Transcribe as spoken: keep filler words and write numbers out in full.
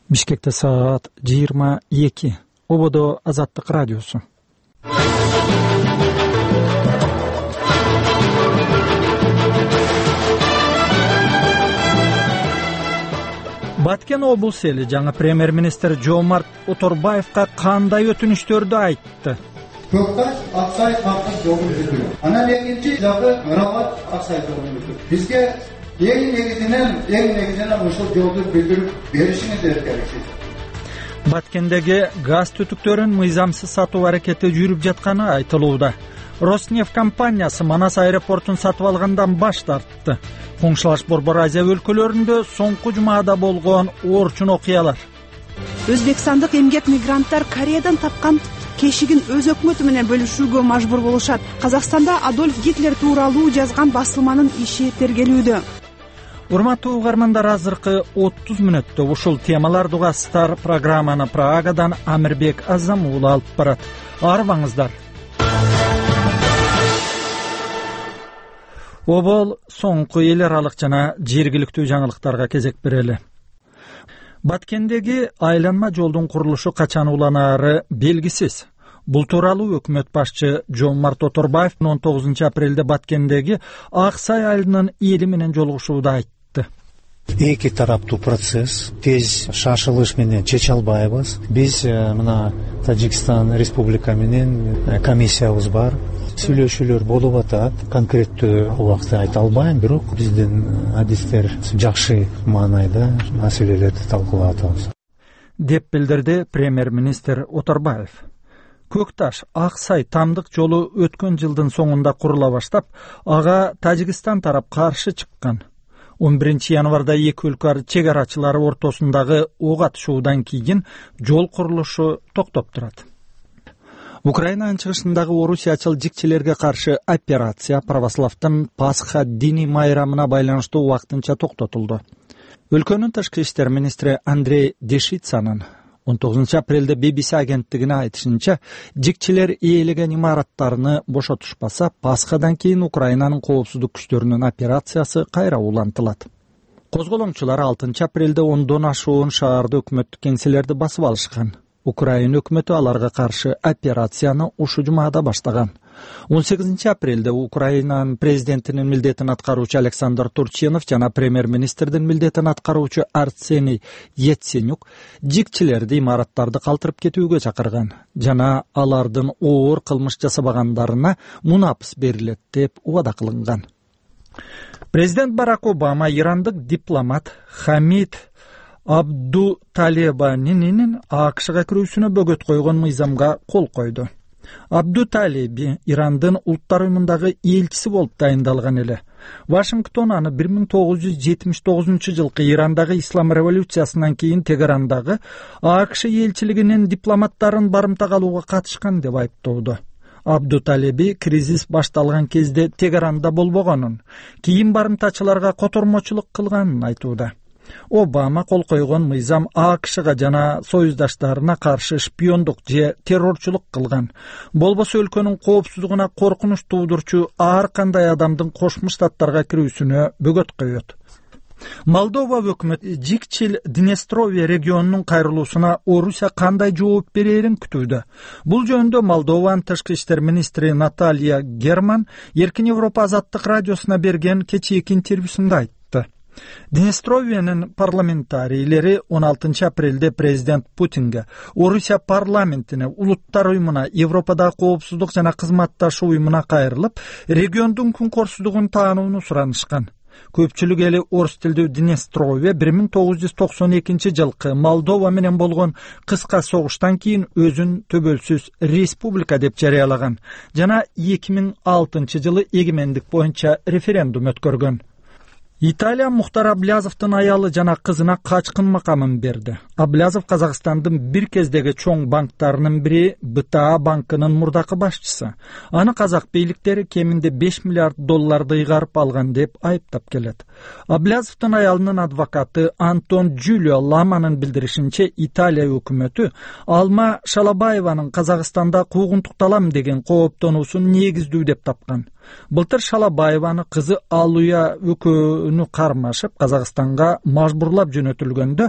Бишкекте саат жыйырма эки. Ободо Азаттык радиосу. Баткен облус эли жаңы премьер-министр Жомарт Оторбаевга кандай өтүнүштөрдү айтты? Көкташ, Аксай, Капкан жолун бүтүрүү. Анан экинчи жагы Мурабат, Аксай жолун бүтүрүү. Бизге эң негизинен, эң негизинен ушул жолду бүтүрүп беришиңиздер керек. Баткендеги газ түтүктөрүн мыйзамсыз сатуу аракети жүрүп жатканы айтылууда. Роснефть компаниясы Манас аэропортун сатып алгандан баш тартты. Коңшулаш Борбор Азия өлкөлөрүндө соңку жумада болгон орчун окуялар. Өзбекстандык эмгек мигранттар Кореядан тапкан кешигин өз өкмөтү менен бөлүшүүгө мажбур болушат. Казакстанда Адольф Гитлер тууралуу жазган басылманын иши тергелүүдө. Урматтуу угармандар, азыркы отуз мүнөттө ушул темаларды угасыздар. Программаны Прагадан Амирбек Азамул алып барат. Арбаңыздар. Обол соңку эл аралык жана жергиликтүү жаңылыктарга кезек берели. Баткендеги айланма жолдун курулушу качан уланаары белгисиз. Бул тууралуу өкмөт башчы Жомарт Оторбаев он тогузунчу апрелде Баткендеги Аксай айылынын эли менен жолугушууда айтты. Эки тараптуу процесс, тез шашылыш менен чече албайбыз. Биз мына Тажикстан Республика менен комиссиябыз бар. Сүйлөшүүлөр болуп атат. Конкреттүү убакытты айта албайм, бирок биздин адистер жакшы маанайда маселелерди талкуулап атабыз, деп билдирди премьер-министр Оторбаев. Көкташ Аксай тамдык жолу өткөн жылдын соңунда курула баштап, ага Тажикстан тарап каршы чыккан. он биринчи январда эки өлкө чек арачылары ортосундагы ок атышуудан кийин жол курулушу токтоп турат. Украинанын чыгышындагы орусиячыл жикчилерге каршы операция православдын Пасха диний майрамына байланыштуу убактынча токтотулду. Өлкөнүн тышкы иштер министри Андрей Дешицанын он тогузунчу апрелде би би си агенттигине айтышынча, жикчилер ээлеген имараттарны бошотушпаса, Пасхадан кийин Украинанын коопсуздук күчтөрүнүн операциясы кайра улантылат. Козголоңчулар алтынчы апрелде ондон ашуун шаарды өкмөттүк кеңселерди басып алышкан. Украина өкмөтү аларга каршы операцияны ушу жумада баштаган. он сегизинчи апрелде Украинанын президентинин милдетин аткаруучу Александр Турчинов жана премьер-министрдин милдетин аткаруучу Арсений Яценюк жикчилерди имараттарды калтырып кетүүгө чакырган жана алардын оор кылмыш жасабагандарына мунапыс берилет деп убада кылынган. Президент Барак Обама ирандык дипломат Хамид Абдуталебанинин АКШга кирүүсүнө бөгөт койгон мыйзамга кол койду. Абдуталеби Ирандын улуттар уюмундагы элчиси болуп дайындалган эле. Вашингтон аны бир миң тогуз жүз жетимиш тогузунчу жылкы Ирандагы ислам революциясынан кийин Тегерандагы АКШ элчилигинин дипломаттарын барымтага алууга катышкан деп айыптоодо. Абдуталеби кризис башталган кезде Тегеранда болбогонун, кийин барымтачыларга котормочулук кылганын айтууда. Обама кол койгон мыйзам АКШга жана союздаштарына каршы шпиондук же террорчулук кылган. Болбосо өлкөнүн коопсуздугуна коркунуч туудурчу ар кандай адамдын Кошмо Штаттарга кирүүсүнө бөгөт коёт. Молдова өкмөтү Жикчил Днестровье регионунун кайрылуусуна Орусия кандай жооп берерин күтүүдө. Бул жөнүндө Молдованын тышкы иштер министри Наталья Герман Эркин Европа азаттык радиосуна берген кечээки интервьюсунда айтты. Днестровьенин парламентарийлери он алтынчы апрелде президент Путинге, Орусия парламентине, улуттар уюмуна, Европадагы коопсуздук жана кызматташуу уюмуна кайрылып, региондун күнкөрсүздүгүн таанууну суранышкан. Көпчүлүк эли орус тилдүү Днестровье бир миң тогуз жүз токсон экинчи жылкы Молдова менен болгон кыска согуштан кийин өзүн төбөлсүз республика деп жарыялаган жана эки миң алтынчы жылы эгемендик боюнча референдум өткөргөн. Италия Мухтар Аблязовдун аялы жана кызына качкын макамын берди. Аблязов Казакстандын бир кездеги чоң банктарынын бири Бэ Тэ А банкынын мурдакы башчысы. Аны казак бийликтери кеминде беш миллиард долларды ыйгарып алган деп айыптап келет. Аблязовдун аялынын адвокаты Антон Джулио Ламанын билдиришинче, Италия өкмөтү Алма Шалабаеванын Казакстанда куугунтукталам деген кооптонуусун негиздүү деп тапкан. Былтыр Шалабаеваны кызы Алуя өкөнү кармашып Казакстанга мажбурлап жөнөтүлгөндө